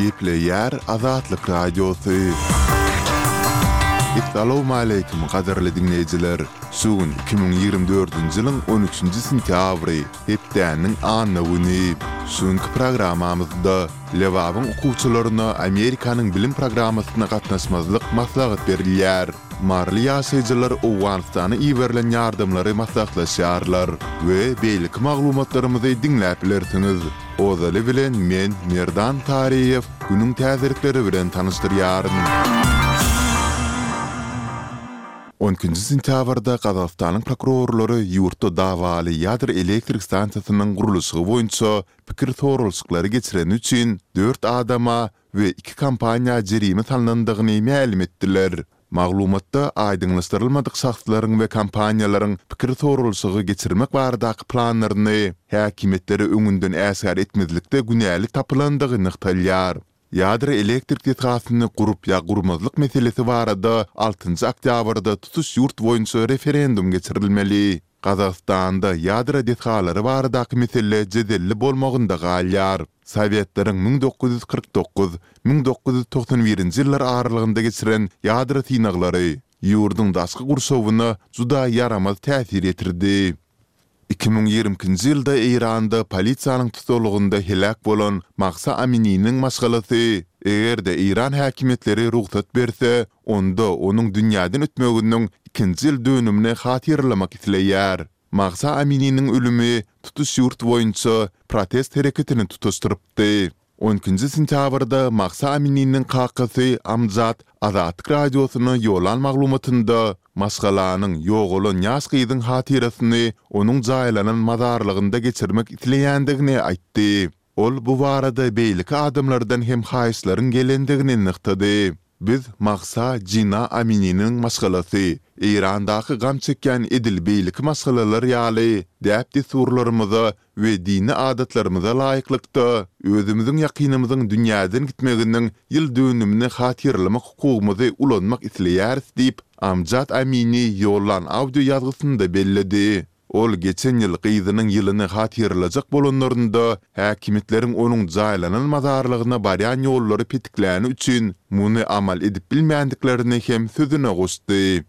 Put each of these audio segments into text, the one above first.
Gepleýär Azatlyk Radiosy. Essalawmaleýkim gadyrly diňleýjiler! Şu gün 2024-nji ýylyň on üçünji sentýabry, hepdäniň anna güni. Şu günki programmamyzda Lebabyň okuwçylaryna Amerikanyň bilim programmasyna gatnaşmazlyk maslahat berilýär. Maryly ýaşaýjylar Owganystana iberilen ýardamlary maslahatlaşýarlar we beýleki maglumatlarymyzy diňläp bilersiňiz. Ozaly bilen men, Merdan Taryýew, günüň täzelikleri bilen tanyşdyrýaryn. On ikinji sentýabrda Gazagystanyň prokurorlary ýurtda dawaly ýadro elektrik stansiýasynyň gurluşygy boýunça pikir soralyşyklary geçireni üçin dört adama we iki kompaniýa jerime salnandygyny mälim etdiler. Maglumatda aýdyňlaşdyrylmadyk şahslaryň we kompaniýalaryň pikir soralyşygy geçirmek baradaky planlaryny häkimiýetlere öňünden äşgär etmezlikde günäli tapylandygy nygtalýar. Ýadro elektrik desgasyny gurup ýa gurmazlyk meselesi barada altynjy oktýabrda tutuş ýurt boýunça referendum geçirilmeli. Gazagystanda ýadro desgalary baradaky mesele jedelli bolmagynda galýar. Sowetleriň 1949, 1991-nji ýyllar aralygynda geçiren ýadro synaglary ýurduň daşky gurşawyna juda ýaramaz täsir ýetirdi. 2022-nji ýylda Eýranda polisiýanyň tussaglygynda heläk bolan Mahsa Amininiň maşgalasy, eger-de eýran häkimiýetleri rugsat berse, onda onuň dünýäden ötmeginiň ikinji ýyl dönümini hatyralamak isleýär. Mahsa Amininiň ölümi tutuş ýurt boýunça protest hereketini tutaşdyrypdy. On ikinji sentýabrda Mahsa Amininiň kakasy Amjad Azatlyk Radiosyna ýollan maglumatynda maşgalanyň ýogalan ýaş gyzyň hatyrasyny onuň jaýlanan mazarlygynda geçirmek isleýändigini aýtdy. Ol bu barada beýleki adamlardan hem haýyşlaryň gelendigini nygtady. Biz Mahsa Jina Amininiň maşgalasy, Eýrandaky gam çekýän edil beýleki maşgalalar ýaly, däp-dessurlarymyza we dini adatlarymyza laýyklykda, özümiziň ýakynymyzyň dünýäden gitmeginiň ýyl dönümini hatyralamak hukugymyzy ulanmak isleýäris diýip, Amjad Amini ýollan audio ýazgysynda belledi. Ol geçen ýyl gyzynyň ýylyny hatyralajak bolanlarynda, häkimiýetleriň onuň jaýlanan mazarlygyna barýan ýollary petikläni üçin muny amal edip bilmändiklerini hem sözüne goşdy.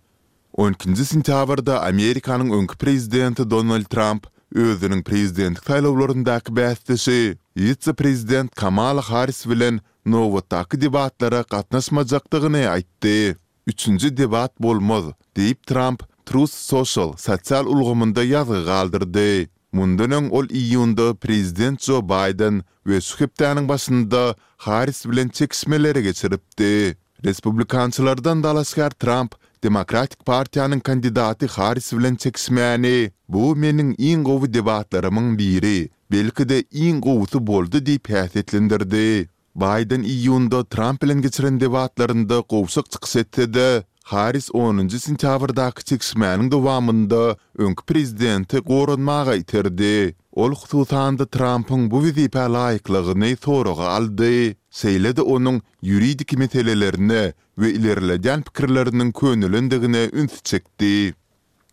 On ikinji sentýabrda Amerikanyň öňki prezidenti Donald Tramp özüniň prezidentlik saýlawlaryndaky bäsdeşi, wise-prezident Kamala Harris bilen nobatdaky debatlara gatnaşmajakdygyny aýtdy. Üçünji debat bolmaz, diýip, Tramp Truth Social sosial ulgamynda ýazgy galdyrdy. Mundan öň ol iýunda prezident Jo Baýden we şu hepdäniň başynda Harris bilen çekişmeleri geçiripdi. Respublikançylardan dalaşgär Tramp Demokratik partiýanyň kandidaty Harris bilen çekişmäni, Bu meniň iň gowy debatlarymyň biri, belki-de iň gowusy boldy diýip häsiýetlendirdi. Baýden iýunda Tramp bilen geçiren debatlarynda gowşak çykyş etse-de, Harris onunjy sentýabrdaky çekişmäniň dowamynda öňki prezidenti goranmaga iterdi. Ol hususan-da Trampyň bu wezipä laýyklygyny soraga aldy, şeýle-de onuň ýuridik meselelerine we ilerledýän pikirleriniň könelendigine ünsi çekdi.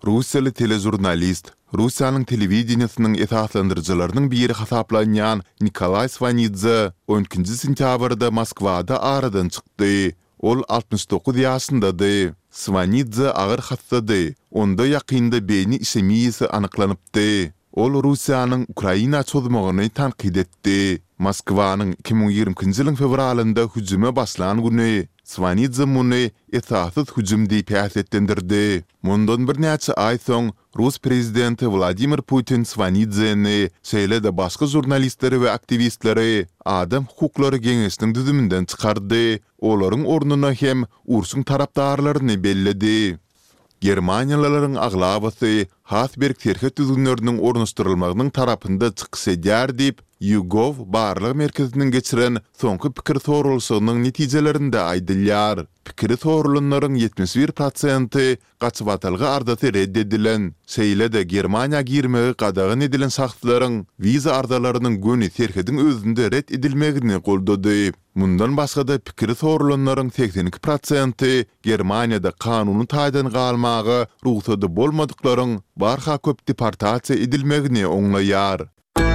Russiýaly teležurnalist, Russiýanyň telewideniýesiniň esaslandyryjylarynyň biri hasaplanýan Nikolaý Swanidze on ikinji sentýabrda Moskwada aradan çykdy. Ol 69 ýaşyndady. Swanidze agyr hassady, onda ýakynda beýni işemiýasy anyklanypdy. Ol Russiýanyň Ukraina çozmagyny tankyt etdi. Moskwanyň 2022-nji ýylyň fewralynda hüjüme başlan güni Swanidze muny esassyz hüjüm diýip häsiýetlendirdi. Mundan birnäçe aý soň rus prezidenti Wladimir Putin Swanidzeni, şeýle-de başga žurnalistleri we aktiwistleri Adam hukuklary geňeşiniň düzüminden çykardy, olaryň ornuna hem urşuň tarapdarlaryny belledi. Germaniýalylaryň aglabasy has berk serhet düzgünleriniň ornaşdyrylmagynyň tarapynda çykyş edýär diýip, YouGov barlag merkeziniň geçiren soňky pikir soralyşygynyň netijelerinde aýdylýar. Pikiri soralanlaryň 71 prosenti gaçybatalga arzasy ret edilen, şeýle-de Germaniýa girmegi gadagan edilen şahslaryň wiza arzalarynyň göni serhediň özünde ret edilmegini goldady. Mundan başga-da pikiri soralanlaryň 82 prosenti Germaniýada kanuny taýdan galmaga rugsady bolmadyklaryň barha köp deportasiýa edilmegini oňlaýar.